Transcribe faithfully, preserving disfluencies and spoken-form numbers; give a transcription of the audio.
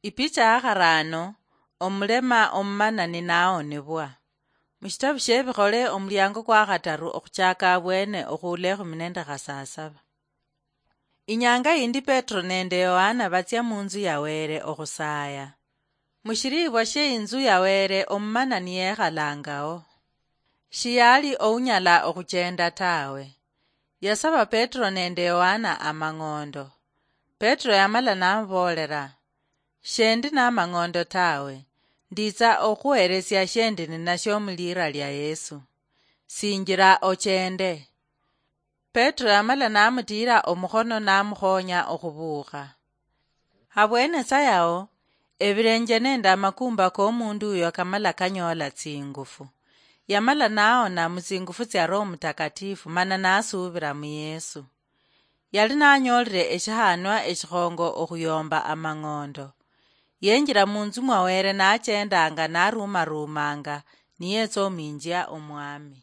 Ipicha ya kharaano, omulema omumanani naawonebwa. Mushitabu shiebikhole, omuliango kwa khataru okhuchaaka abwene okhuula ekhumi nende khasasaba. Inyanga yindi Petro nende Yohana batsia munzu ya Wele okhusaaya. Mushiriibwa shie inzu ya Wele omumanani yekhalangao. Shiyali ounyala okhuchenda tawe. Yasaba Petro nende Yohana amang'ondo. Petro yamala namuboolera, "Shendi namang'ondo tawe, nditsa okhuheresia shendi ninashio muliira lia Yesu. Sinjira ochende." Petro yamala namutiira omukhono namukhonya okhubuukha. Habwene sa yao, ebilenje nende amakumba komundu uyo kamala kanyoola tsingufu. Yamala naona mutsingufu tsia Roho Mutakatifu mana nasuubira mu Yesu. Yali nanyoolire eshihanwa eshikhongo okhuyomba amang'ondo. Yenjira munzu mwa Wele nachendanga narumarumanga niyetsa ominjia Omwami.